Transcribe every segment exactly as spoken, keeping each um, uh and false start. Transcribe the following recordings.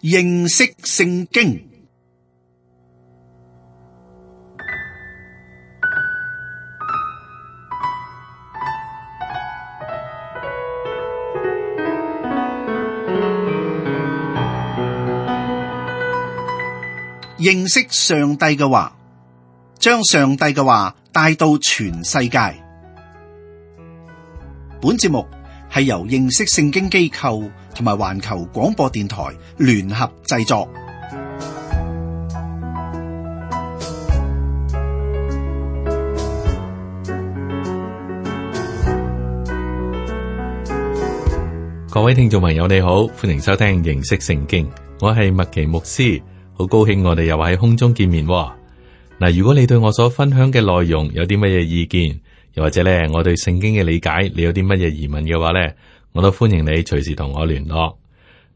認識聖經。認識上帝嘅話，將上帝嘅話帶到全世界。本節目係由認識聖經機構同埋環球廣播電台聯合製作。各位聽眾朋友你好，歡迎收聽認識聖經，我係麥奇牧師。好高興我哋又喺空中見面喎。嗱，如果你對我所分享嘅內容有啲乜嘢意見，又或者咧我對聖經嘅理解，你有啲乜嘢疑問嘅話咧，我都歡迎你隨時同我聯絡。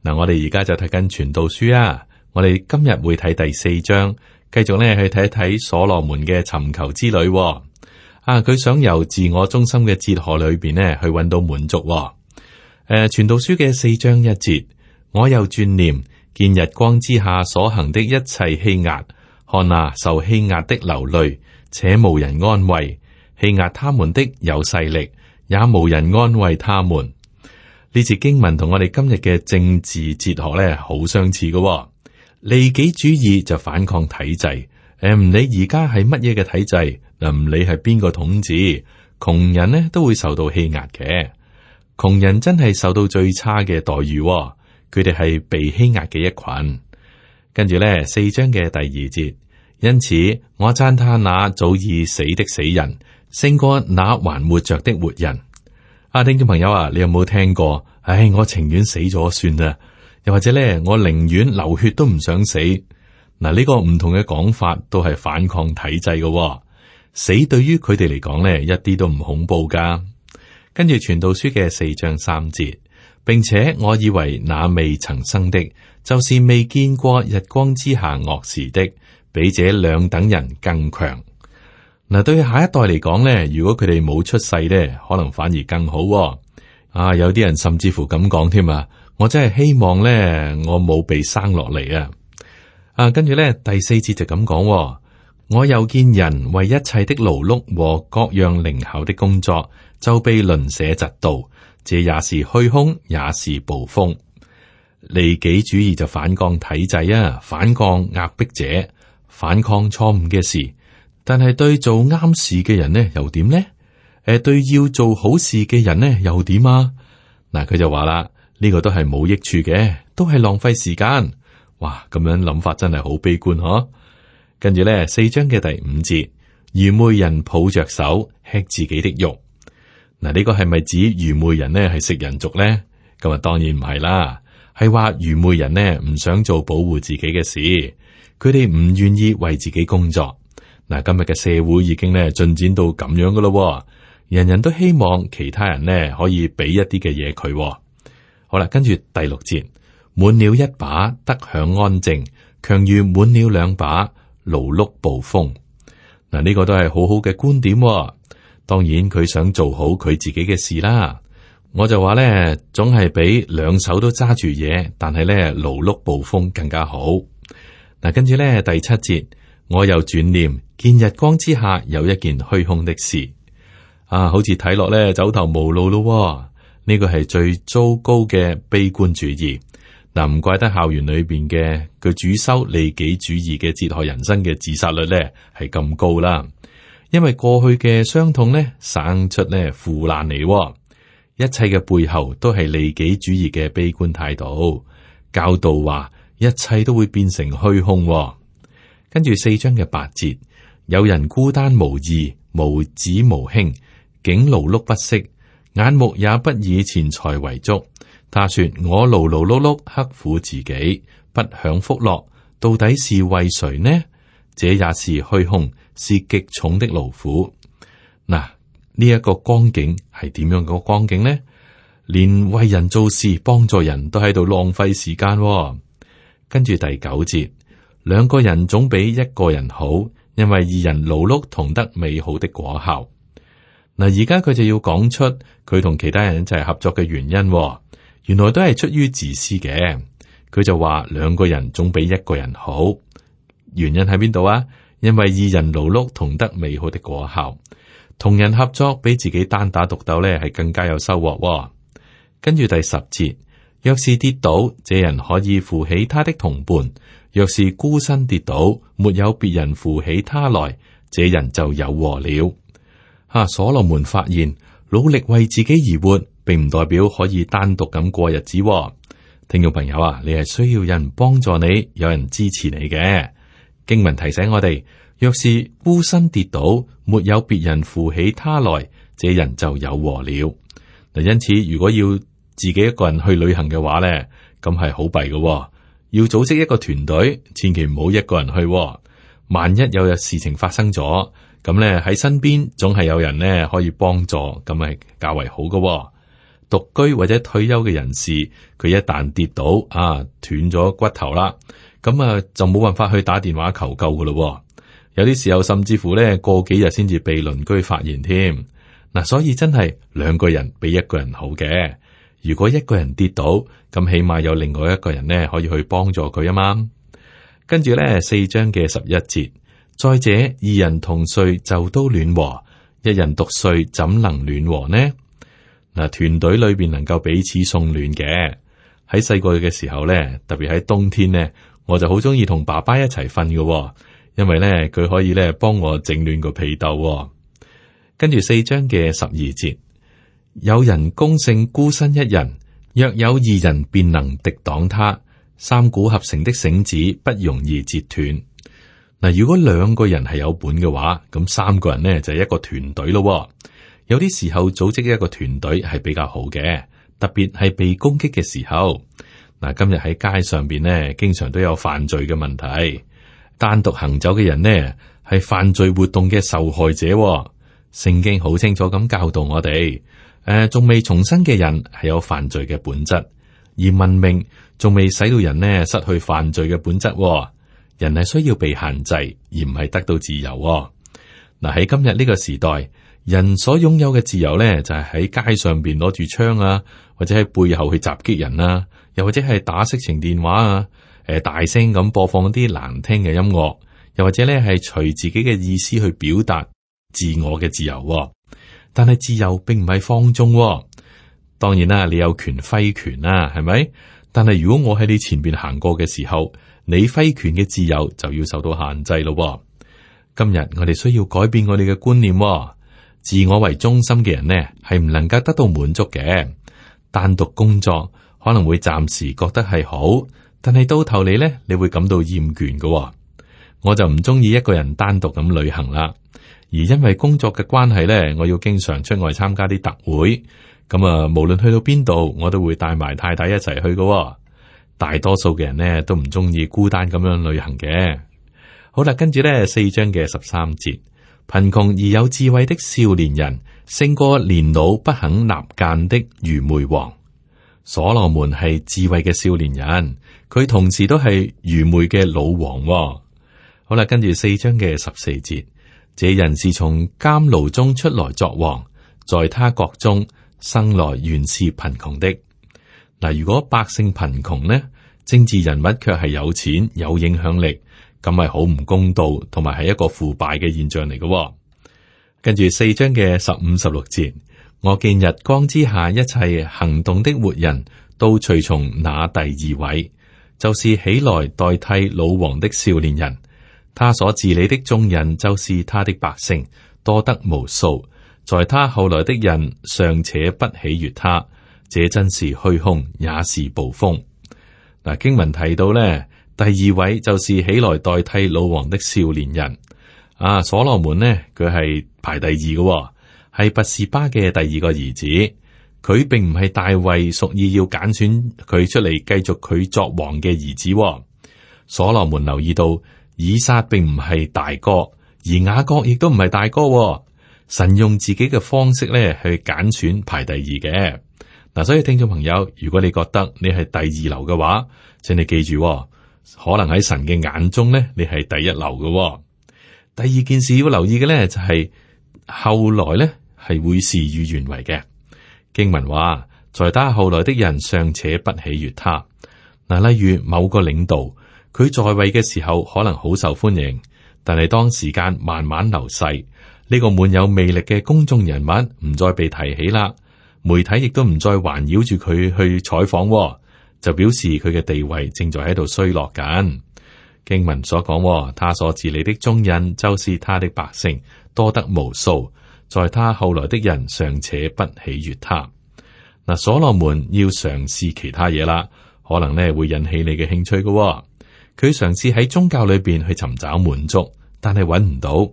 嗱，我哋而家就睇緊傳道書啊，我哋今日會睇第四章，繼續咧去睇一睇所羅門嘅尋求之旅喎。啊，佢想由自我中心嘅哲學裏邊咧去搵到滿足喎。誒，傳道書嘅四章一節，我又轉念。見日光之下所行的一切欺壓，看啊，受欺壓的流淚，且無人安慰；欺壓他們的有勢力，也無人安慰他們。呢節經文同我哋今日嘅政治哲學咧好相似嘅、哦。利己主義就反抗體制，誒唔理而家係乜嘢嘅體制，嗱唔理係邊個統治，窮人呢都會受到欺壓嘅。窮人真係受到最差嘅待遇、哦。佢哋係被欺壓嘅一群，跟住咧四章嘅第二節，因此我讚他那早已死的死人，勝過那還活着的活人。啊，聽眾朋友啊，你有冇聽過？唉，我情願死咗算啦，又或者咧，我寧願流血都唔想死。嗱，呢個唔同嘅講法都係反抗體制嘅、哦。死對於佢哋嚟講咧，一啲都唔恐怖噶。跟住傳道書嘅四章三節。並且我以為那未曾生的，就是未見過日光之下惡事的，比這兩等人更強。嗱，對下一代嚟講咧，如果佢哋冇出世咧，可能反而更好、哦。啊，有啲人甚至乎咁講添啊！我真係希望咧，我冇被生落嚟啊！啊，跟住咧第四節就咁講、哦，我又見人為一切的勞碌和各樣靈巧的工作，就被鄰舍嫉妒。這也是虛空，也是暴風。利己主義就反抗體制啊，反抗壓迫者，反抗錯誤嘅事。但係對做啱事嘅人呢，又點呢？誒，對要做好事嘅人呢，又點啊？嗱，佢就話啦，呢個都係冇益處嘅，都係浪費時間。哇，咁樣諗法真係好悲觀嗬。跟住咧，四章嘅第五節，愚昧人抱着手吃自己的肉。嗱，呢個係咪指愚昧人呢係食人族咧？咁啊，當然唔係啦，係話愚昧人呢唔想做保護自己嘅事，佢哋唔願意為自己工作。嗱，今日嘅社會已經咧進展到咁樣噶咯，人人都希望其他人呢可以俾一啲嘅嘢佢。好啦，跟住第六節，滿了一把得享安靜，強如滿了兩把勞碌暴風。嗱，呢個都係好好嘅觀點。當然佢想做好佢自己嘅事啦，我就話咧，總係比兩手都揸住嘢，但係咧勞碌暴風更加好。嗱，跟住咧第七節，我又轉念見日光之下有一件虛空的事，啊，好似睇落咧走投無路咯。呢個係最糟糕嘅悲觀主義。嗱，唔怪得校園裏邊嘅佢主修利己主義嘅哲學人生嘅自殺率咧係咁高啦。因為過去嘅傷痛咧，生出咧腐爛嚟，一切嘅背後都係利己主義嘅悲觀態度。教導話一切都會變成虛空。跟住四章嘅八節，有人孤單無義，無子無兄，竟勞碌不息，眼目也不以錢財為足。他說：我勞勞碌碌，刻苦自己，不享福樂，到底是為誰呢？這也是虛空，是極重的勞苦。嗱，呢一個光景係點樣個光景呢？連為人做事、幫助人都喺度浪費時間。跟住第九節，兩個人總比一個人好，因為二人勞碌同得美好的果效。嗱，而家佢就要講出佢同其他人一齊合作嘅原因，原來都係出於自私嘅。佢就話兩個人總比一個人好。原因喺邊度啊？因為二人勞碌同得美好的果效，同人合作比自己單打獨鬥呢係更加有收穫。跟住第十節，若是跌倒，這人可以扶起他的同伴；若是孤身跌倒，沒有別人扶起他來，這人就有禍了。啊，所羅門發現努力為自己而活，並唔代表可以單獨咁過日子。聽眾朋友啊，你係需要有人幫助你，有人支持你嘅。經文提醒我哋，若是孤身跌倒，沒有別人扶起他來，這人就有禍了。嗱，因此如果要自己一個人去旅行嘅話咧，咁係好弊嘅。要組織一個團隊，千祈唔好一個人去。萬一有日事情發生咗，咁咧喺身邊總係有人咧可以幫助，咁係較為好嘅。獨居或者退休嘅人士，佢一旦跌倒啊，斷咗骨頭啦，咁啊就冇辦法去打電話求救噶咯。有啲時候甚至乎咧過幾日先至被鄰居發現添。嗱，所以真係兩個人比一個人好嘅。如果一個人跌倒，咁起碼有另外一個人呢可以去幫助佢啊嘛。跟住咧四章嘅十一節，再者二人同睡就都暖和，一人獨睡怎能暖和呢？嗱，團隊裏邊能夠彼此送暖嘅。喺細個嘅時候咧，特別喺冬天呢，我就好中意同爸爸一齊瞓嘅，因為咧佢可以咧幫我整暖個被竇。跟住四章嘅十二節，有人攻勝孤身一人，若有二人便能敵擋他。三股合成的繩子不容易折斷。嗱，如果兩個人係有本嘅話，咁三個人呢就係一個團隊咯。有啲時候組織一個團隊係比較好嘅，特別係被攻擊嘅時候。嗱，今日喺街上邊呢，經常都有犯罪嘅問題。單獨行走嘅人呢，係犯罪活動嘅受害者。聖經好清楚咁教導我哋，誒、呃，仲未重生嘅人係有犯罪嘅本質，而文明仲未使到人呢失去犯罪嘅本質。人係需要被限制，而唔係得到自由。嗱，喺今日呢個時代，人所擁有嘅自由咧，就係喺街上邊攞住槍啊，或者喺背後去襲擊人啊，又或者係打色情電話啊，誒，大聲咁播放啲難聽嘅音樂，又或者咧係隨自己嘅意思去表達自我嘅自由。但係自由並唔係放縱。當然啦，你有權揮拳啦，係咪？但係如果我喺你前邊行過嘅時候，你揮拳嘅自由就要受到限制咯。今日我哋需要改變我哋嘅觀念。自我為中心嘅人呢，係唔能夠得到滿足嘅。單獨工作可能會暫時覺得係好，但係到頭嚟呢，你會感到厭倦嘅。我就唔中意一個人單獨咁旅行啦。而因為工作嘅關係呢，我要經常出外參加啲特會。咁啊，無論去到邊度，我都會帶埋太太一齊去嘅。大多數嘅人呢，都唔中意孤單咁樣旅行嘅。好啦，跟住呢四章嘅十三節，貧窮而有智慧的少年人，勝過年老不肯納諫的愚昧王。所羅門係智慧嘅少年人，佢同時都係愚昧嘅老王。好啦，跟住四章嘅十四節，這人是從監牢中出來作王，在他國中生來原是貧窮的。嗱，如果百姓貧窮呢，政治人物卻係有錢有影響力，咁係好唔公道，同埋係一個腐敗嘅現象嚟嘅。跟住四章嘅十五、十六節，我見日光之下一切行動的活人都隨從那第二位，就是起來代替老王的少年人。他所治理的眾人就是他的百姓，多得無數。在他後來的人尚且不喜悅他，這真是虛空，也是捕風。嗱，經文提到咧，第二位就是起來代替老王的少年人。啊，所羅門呢，佢係排第二嘅，係拔示巴嘅第二個兒子。佢並唔係大衛屬意要揀選佢出嚟繼續佢作王嘅兒子。所羅門留意到以撒並唔係大哥，而雅各亦都唔係大哥。神用自己嘅方式咧去揀選排第二嘅。嗱，所以聽眾朋友，如果你覺得你係第二流嘅話，請你記住，可能喺神嘅眼中咧，你係第一流嘅。第二件事要留意嘅咧，就係後來咧係會事與願違嘅。經文話，在他後來的人尚且不喜悅他。嗱，例如某個領導，佢在位嘅時候可能好受歡迎，但係當時間慢慢流逝，呢個滿有魅力嘅公眾人物唔再被提起啦，媒體亦都唔再環繞住佢去採訪，就表示佢嘅地位正在喺度衰落緊。經文所講，他所治理的眾人就是他的百姓，多得無數，在他後來的人尚且不喜悅他。嗱，所羅門要嘗試其他嘢啦。可能咧會引起你嘅興趣嘅、哦，佢嘗試喺宗教裏邊去尋找滿足，但係揾唔到。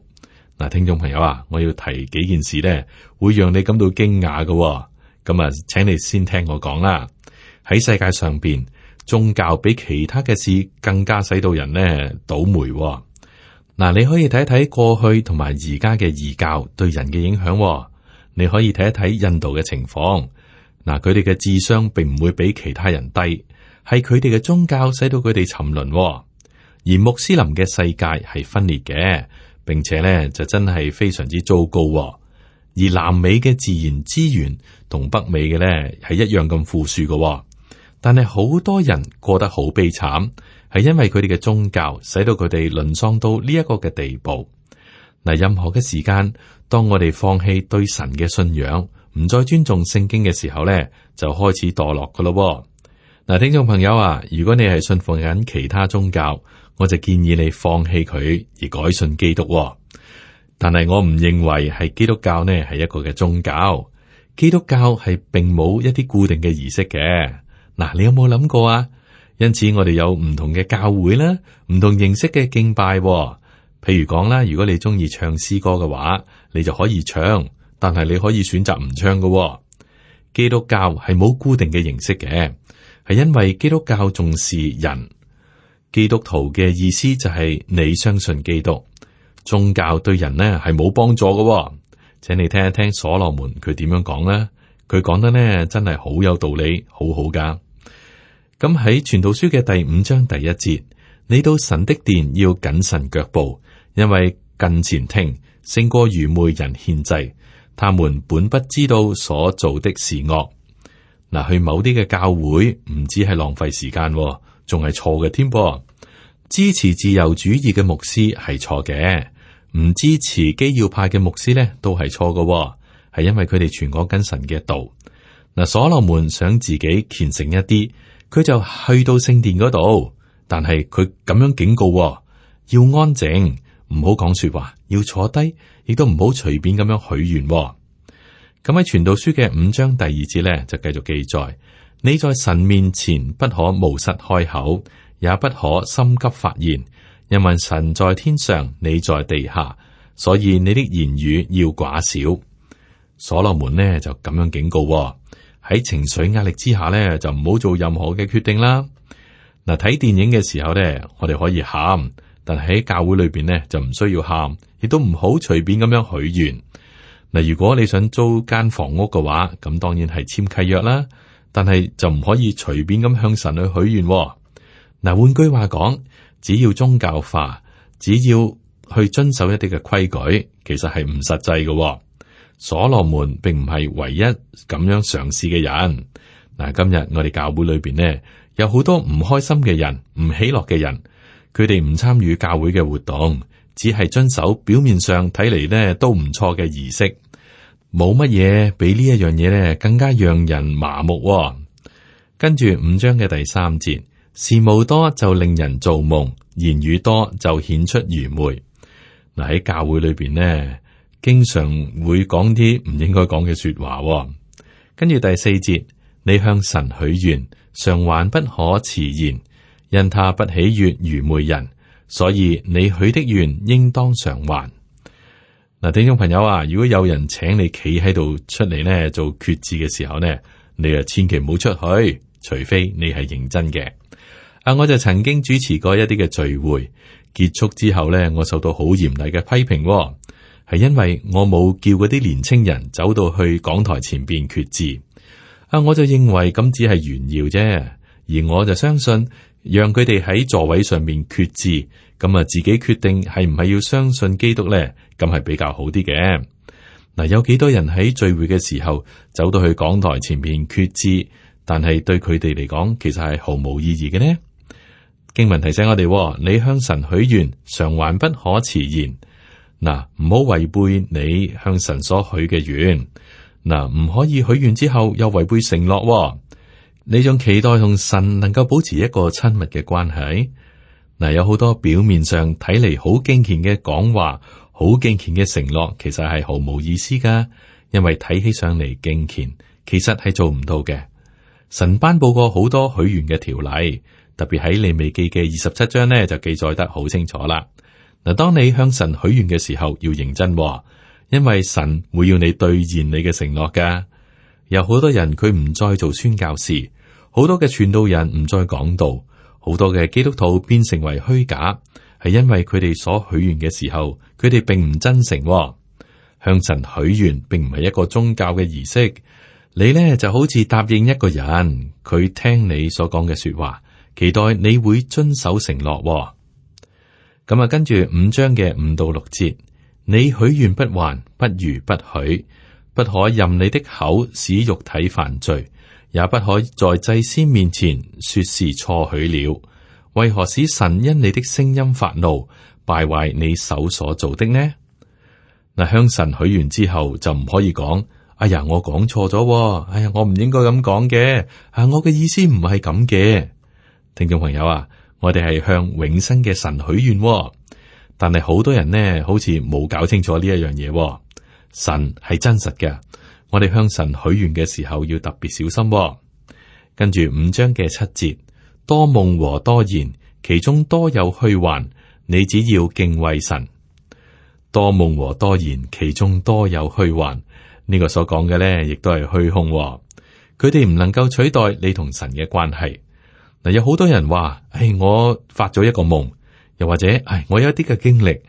嗱，聽眾朋友啊，我要提幾件事咧，會讓你感到驚訝嘅、哦。咁啊，請你先聽我講啦。喺世界上邊，宗教比其他嘅事更加使到人呢倒霉、哦。嗱，你可以睇一睇過去同埋而家嘅異教對人嘅影響、哦。你可以睇一睇印度嘅情況。嗱，佢哋嘅智商並唔會比其他人低。係佢哋嘅宗教使到佢哋沉淪、哦，而穆斯林嘅世界係分裂嘅，並且咧就真係非常之糟糕、哦。而南美嘅自然資源同北美嘅咧係一樣咁富庶嘅、哦，但係好多人過得好悲慘，係因為佢哋嘅宗教使到佢哋淪喪到呢一個嘅地步。嗱，任何嘅時間，當我哋放棄對神嘅信仰，唔再尊重聖經嘅時候咧，就開始墮落噶咯。嗱，聽眾朋友啊，如果你係信奉緊其他宗教，我就建議你放棄佢而改信基督、哦。但係我唔認為係基督教呢係一個嘅宗教，基督教係並冇一啲固定嘅儀式嘅。嗱，你有冇諗過啊？因此我哋有唔同嘅教會啦，唔同形式嘅敬拜、哦。譬如講啦，如果你中意唱詩歌嘅話，你就可以唱，但係你可以選擇唔唱嘅、哦。基督教係冇固定嘅形式嘅。係因為基督教重視人，基督徒嘅意思就係你相信基督，宗教對人呢係冇幫助嘅、哦。請你聽一聽所羅門佢點樣講啦，佢講得呢真係好有道理，好好噶。咁喺傳道書嘅第五章第一節，你到神的殿要謹慎腳步，因為近前聽勝過愚昧人獻祭，他們本不知道所做的是惡。嗱，去某啲嘅教會唔止係浪費時間，仲係錯嘅添噃。支持自由主義嘅牧師係錯嘅，唔支持基要派嘅牧師咧都係錯嘅，係因為佢哋傳講緊神嘅道。嗱，所羅門想自己虔誠一啲，佢就去到聖殿嗰度，但係佢咁樣警告，要安靜，唔好講說話，要坐低，亦都唔好隨便咁樣許願。咁喺傳道書嘅五章第二節咧，就繼續記載：你在神面前不可冒失開口，也不可心急發言，因為神在天上，你在地下，所以你的言語要寡少。所羅門呢就咁樣警告喎，喺情緒壓力之下呢，就唔好做任何嘅決定啦。嗱，睇電影嘅時候呢，我哋可以喊，但係喺教會裏邊呢，就唔需要喊，亦都唔好隨便咁樣許願。嗱，如果你想租間房屋嘅話，咁當然係簽契約啦，但係就唔可以隨便咁向神去許願。嗱，換句話講，只要宗教化，只要去遵守一啲嘅規矩，其實係唔實際嘅。所羅門並唔係唯一咁樣嘗試嘅人。嗱，今日我哋教會裏邊呢，有好多唔開心嘅人，唔喜樂嘅人，佢哋唔參與教會嘅活動。只係遵守表面上睇嚟呢都唔錯嘅儀式，冇乜嘢比呢一樣嘢呢更加讓人麻木。跟住五章嘅第三節，事務多就令人造夢，言語多就顯出愚昧。嗱，喺教會裏邊呢，經常會講啲唔應該講嘅說話。跟住第四節，你向神許願，償還不可遲延，因他不喜悅愚昧人。所以你許的願應當償還。嗱，聽眾朋友啊，如果有人請你企喺度出嚟呢做決志嘅時候呢，你啊千祈唔好出去，除非你係認真嘅。啊，我就曾經主持過一啲嘅聚會，結束之後呢，我受到好嚴厲嘅批評，係因為我冇叫嗰啲年青人走到去講台前邊決志。啊，我就認為咁只係炫耀啫，而我就相信。讓佢哋喺座位上面決志，咁啊自己決定係唔係要相信基督咧，咁係比較好啲嘅。嗱，有幾多人喺聚會嘅時候走到去講台前面決志，但係對佢哋嚟講，其實係毫無意義嘅呢。經文提醒我哋，你向神許願，償還不可遲延。嗱，唔好違背你向神所許嘅願。嗱，唔可以許願之後又違背承諾。你仲期待同神能夠保持一個親密嘅關係？嗱，有好多表面上睇嚟好敬虔嘅講話，好敬虔嘅承諾，其實係毫無意思噶。因為睇起上嚟敬虔，其實係做唔到嘅。神頒布過好多許願嘅條例。特別喺利未記嘅二十七章呢，就記載得好清楚啦。嗱，當你向神許願嘅時候，要認真，因為神會要你兌現你嘅承諾噶。有好多人佢唔再做宣教士，好多嘅傳道人唔再講道，好多嘅基督徒變成為虛假，係因為佢哋所許願嘅時候，佢哋並唔真誠。向神許願並唔係一個宗教嘅儀式，你呢就好似答應一個人，佢聽你所講嘅說話。期待你會遵守承諾。咁啊，跟住五章嘅五到六節，你許願不還，不如不許，不可任你的口使肉體犯罪，也不可在祭司面前說是錯許了。為何使神因你的聲音發怒，敗壞你手所做的呢？嗱，向神許願之後就唔可以講，哎呀，我講錯咗，哎呀，我唔應該咁講嘅，啊，我嘅意思唔係咁嘅。聽眾朋友啊，我哋係向永生嘅神許願，但係好多人呢，好似冇搞清楚呢一樣嘢。神係真實嘅，我哋向神許願嘅時候要特別小心。跟住五章嘅七節，多夢和多言，其中多有虛幻，你只要敬畏神。多夢和多言，其中多有虛幻，呢個所講嘅呢，亦都係虛空。佢哋唔能夠取代你同神嘅關係。嗱，有好多人話，唉，我發咗一個夢，又或者，唉，我有一啲嘅經歷，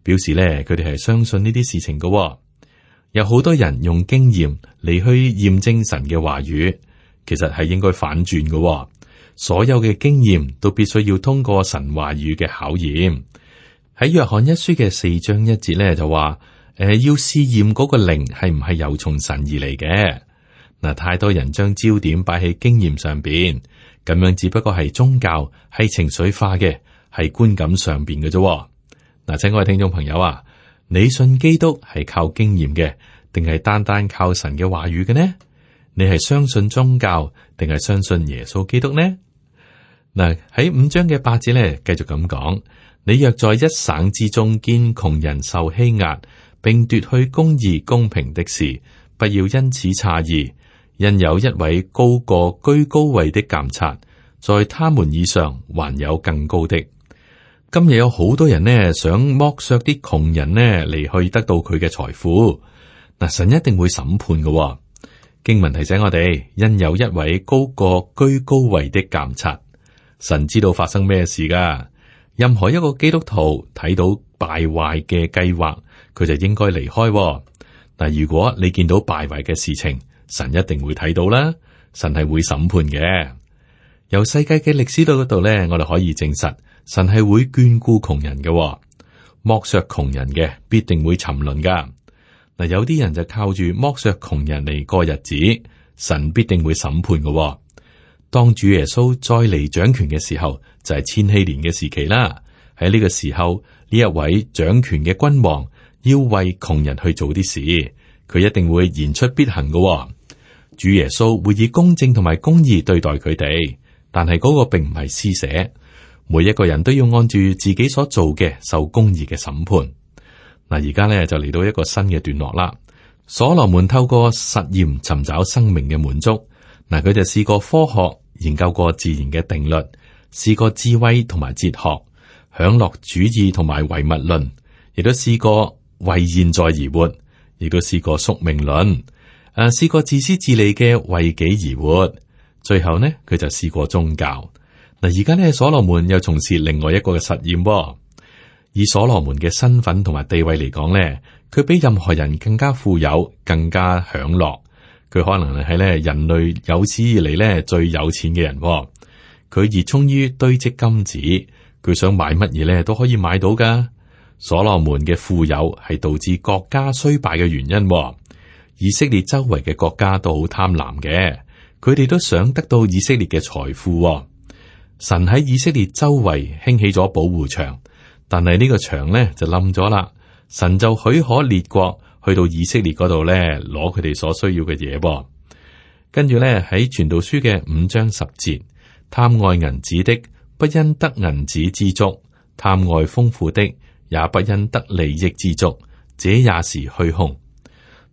表示咧，佢哋係相信呢啲事情嘅。有好多人用經驗嚟去驗證神嘅話語，其實係應該反轉嘅。所有嘅經驗都必須要通過神話語嘅考驗。喺約翰一書嘅四章一節咧就話，誒，要試驗嗰個靈係唔係由從神而嚟嘅。嗱，太多人將焦點擺喺經驗上邊。咁樣只不過係宗教，係情緒化嘅，係觀感上邊嘅啫。嗱，請各位聽眾朋友啊，你信基督係靠經驗嘅，定係單單靠神嘅話語嘅呢？你係相信宗教，定係相信耶穌基督呢？嗱，喺五章嘅八節咧，繼續咁講：你若在一省之中見窮人受欺壓，並奪去公義公平的事，不要因此詫異。因有一位高過居高位的監察，在他們以上還有更高的。今日有好多人呢，想剝削啲窮人呢嚟去得到佢嘅財富。嗱，神一定會審判嘅。經文提醒我哋，因有一位高過居高位的監察，神知道發生咩事噶。任何一個基督徒睇到敗壞嘅計劃，佢就應該離開。嗱，如果你見到敗壞嘅事情，神一定會睇到啦，神係會審判嘅。由世界嘅歷史度嗰度咧，我哋可以證實，神係會眷顧窮人嘅，剝削窮人嘅必定會沉淪噶。嗱，有啲人就靠住剝削窮人嚟過日子，神必定會審判嘅。當主耶穌再嚟掌權嘅時候，就係千禧年嘅時期啦。喺呢個時候，呢一位掌權嘅君王要為窮人去做啲事，佢一定會言出必行嘅。主耶穌會以公正同埋公義對待佢哋，但係嗰個並唔係施捨，每一個人都要按住自己所做嘅受公義嘅審判。嗱，而家咧就嚟到一個新嘅段落啦。所羅門透過實驗尋找生命嘅滿足，嗱，佢就試過科學研究過自然嘅定律，試過智慧同埋哲學，享樂主義同埋唯物論，亦都試過為現在而活，亦都試過宿命論。誒，試過自私自利嘅為己而活，最後呢，佢就試過宗教。嗱，而家呢，所羅門又從事另外一個嘅實驗喎。以所羅門嘅身份同埋地位嚟講呢，佢比任何人更加富有，更加享樂。佢可能係咧人類有史以嚟咧最有錢嘅人喎。佢熱衷於堆積金子，佢想買乜嘢咧都可以買到噶。所羅門嘅富有係導致國家衰敗嘅原因喎。以色列周圍嘅國家都好貪婪嘅，佢哋都想得到以色列嘅財富喎。神喺以色列周圍興起咗保護牆，但係呢個牆呢就冧咗啦。神就許可列國去到以色列嗰度呢攞佢哋所需要嘅嘢噃。跟住呢喺傳道書嘅五章十節，貪愛銀子的不因得銀子知足，貪愛豐富的也不因得利益知足，這也是虛空。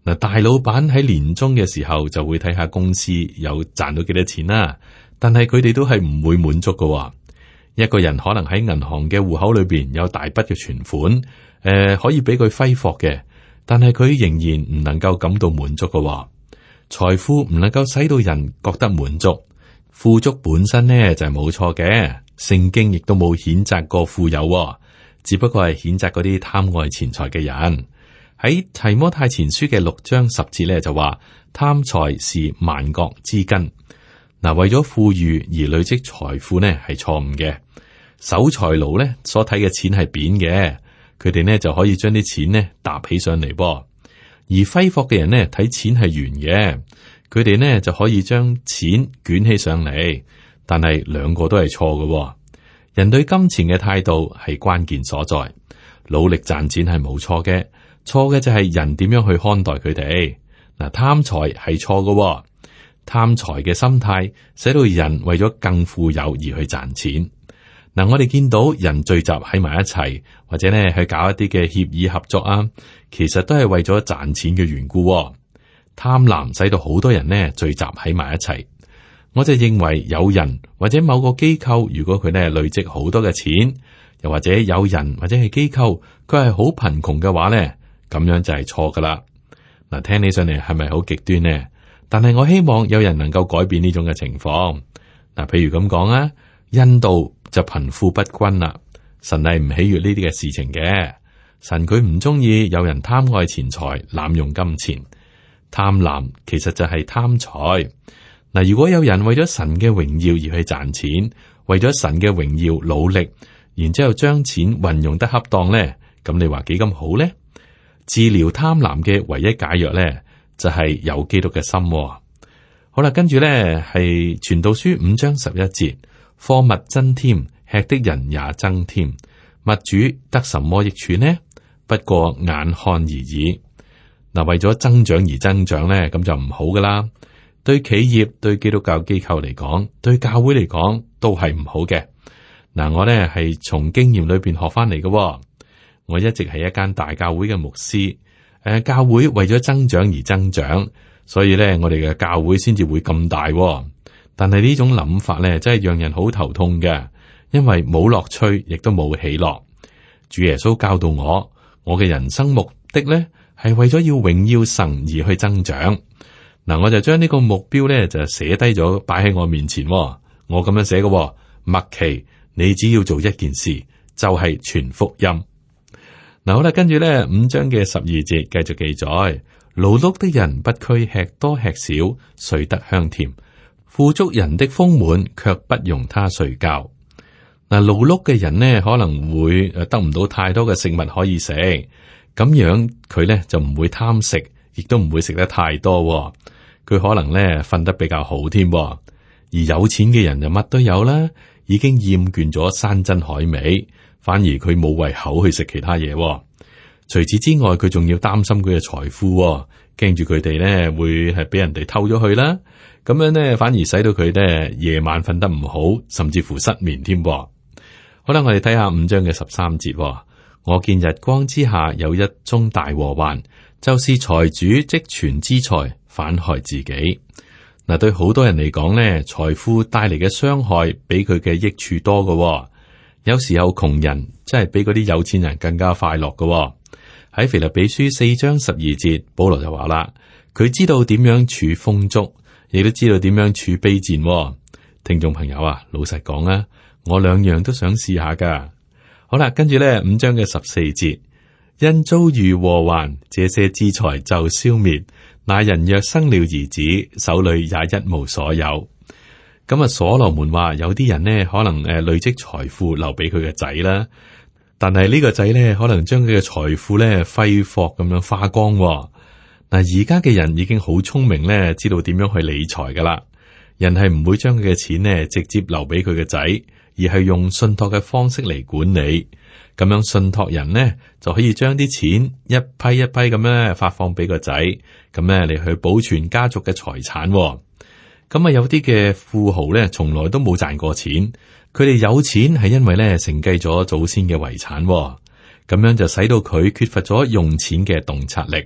嗱，大老闆喺年終嘅時候就會睇下公司有賺到幾多錢啦，但係佢哋都係唔會滿足㗎。一個人可能喺銀行嘅戶口裏邊有大筆嘅存款，誒、呃，可以俾佢揮霍嘅，但係佢仍然唔能夠感到滿足㗎。財富唔能夠使到人覺得滿足，富足本身呢就係冇錯嘅，聖經亦都冇譴責過富有，只不過係譴責嗰啲貪愛錢財嘅人。喺提摩太前書嘅六章十節咧就話，貪財是萬國之根。嗱，為咗富裕而累積財富呢係錯誤嘅。守財奴呢所睇嘅錢係扁嘅，佢哋呢就可以將啲錢呢搭起上嚟噃。而揮霍嘅人呢睇錢係圓嘅，佢哋呢就可以將錢捲起上嚟，但係兩個都係錯嘅。人對金錢嘅態度係關鍵所在，努力賺錢係冇錯嘅。錯嘅就係人點樣去看待佢哋。嗱，貪財係錯嘅，貪財嘅心態使到人為咗更富有而去賺錢。嗱，我哋見到人聚集喺埋一齊，或者咧去搞一啲嘅協議合作啊，其實都係為咗賺錢嘅緣故。貪婪使到好多人呢聚集喺埋一齊。我就認為有人或者某個機構，如果佢呢累積好多嘅錢，又或者有人或者係機構，佢係好貧窮嘅話呢，咁樣就係錯噶啦。嗱，聽起上嚟係咪好極端呢？但係我希望有人能夠改變呢種嘅情況。嗱，譬如咁講啊，印度就貧富不均啦。神係唔喜悅呢啲嘅事情嘅。神佢唔中意有人貪愛錢財、濫用金錢。貪婪其實就係貪財。嗱，如果有人為咗神嘅榮耀而去賺錢，為咗神嘅榮耀努力，然之後將錢運用得恰當咧，咁你話幾咁好咧？治療貪婪嘅唯一解藥咧，就係有基督嘅心。好啦，跟住咧係傳道書五章十一節，貨物增添，吃的人也增添，物主得什麼益處呢？不過眼看而已。嗱，為咗增長而增長咧，咁就唔好噶啦。對企業、對基督教機構嚟講，對教會嚟講，都係唔好嘅。嗱，我咧係從經驗裏邊學翻嚟嘅。我一直係一間大教會嘅牧師。誒，教會為咗增長而增長，所以咧我哋嘅教會先至會咁大。但係呢種諗法咧，真係讓人好頭痛嘅，因為冇樂趣，亦都冇喜樂。主耶穌教導我，我嘅人生目的咧係為咗要榮耀神而去增長。嗱，我就將呢個目標咧就寫低咗，擺喺我面前。我咁樣寫嘅，麥奇，你只要做一件事，就係傳福音。嗱，好啦，跟住咧五章嘅十二節繼續記載：勞碌的人不拘吃多吃少，睡得香甜；富足人的豐滿卻不容他睡覺。嗱，勞碌嘅人呢可能會誒得唔到太多嘅食物可以食，咁樣佢咧就唔會貪食，亦都唔會食得太多。佢可能咧瞓得比較好添。而有錢嘅人就乜都有啦，已經厭倦咗山珍海味。反而佢冇胃口去食其他嘢。除此之外，佢仲要擔心佢嘅財富，驚住佢哋咧會係俾人哋偷咗去啦。咁樣咧，反而使到佢咧夜晚瞓得唔好，甚至乎失眠添。好啦，我哋睇下五章嘅十三節。我見日光之下有一宗大禍患，就是財主積存資財，反害自己。嗱，對好多人嚟講咧，財富帶嚟嘅傷害比佢嘅益處多㗎。有時候窮人真係比嗰啲有錢人更加快樂㗎。喺腓立比書四章十二節，保羅就話啦，佢知道點樣處豐足，亦都知道點樣處卑賤。聽眾朋友啊，老實講啊，我兩樣都想試下噶。好啦，跟住咧五章嘅十四節，因遭遇禍患，這些資財就消滅。那人若生了兒子，手裏也一無所有。咁啊，所羅門話有啲人呢可能誒累積財富留俾佢嘅仔啦，但係呢個仔呢可能將佢嘅財富咧揮霍咁樣花光。嗱，而家嘅人已經好聰明咧，知道點樣去理財噶啦。人係唔會將佢嘅錢呢直接留俾佢嘅仔，而係用信託嘅方式嚟管理。咁樣信託人呢就可以將啲錢一批一批咁樣發放俾個仔，咁咧嚟去保存家族嘅財產。咁啊，有啲嘅富豪咧，從來都冇賺過錢，佢哋有錢係因為咧承繼咗祖先嘅遺產，咁樣就使到佢缺乏咗用錢嘅洞察力。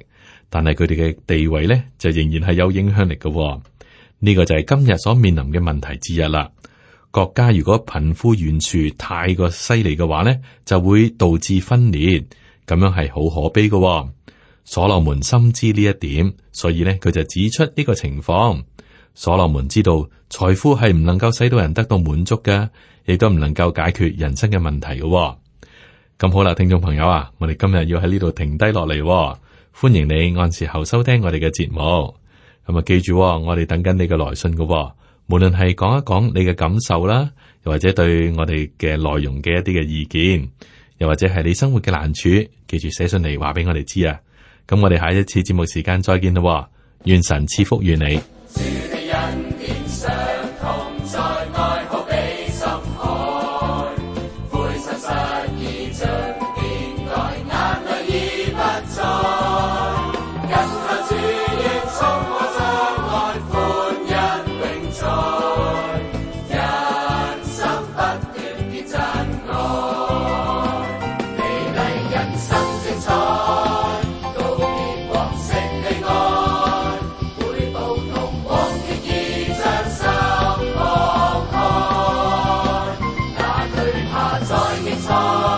但係佢哋嘅地位咧就仍然係有影響力嘅。呢個就係今日所面臨嘅問題之一啦。國家如果貧富懸殊太過犀利嘅話咧，就會導致分裂，咁樣係好可悲嘅。所羅門深知呢一點，所以咧佢就指出呢個情況。所羅門知道財富係唔能夠使到人得到滿足嘅，亦都唔能夠解決人生嘅問題嘅。咁好啦，聽眾朋友啊，我哋今日要喺呢度停低落嚟，歡迎你按時候收聽我哋嘅節目。咁啊，記住，我哋等緊你嘅來信嘅。無論係講一講你嘅感受啦，又或者對我哋嘅內容嘅一啲嘅意見，又或者係你生活嘅難處，記住寫信嚟話俾我哋知啊。咁我哋下一次節目時間再見啦，願神賜福於你。在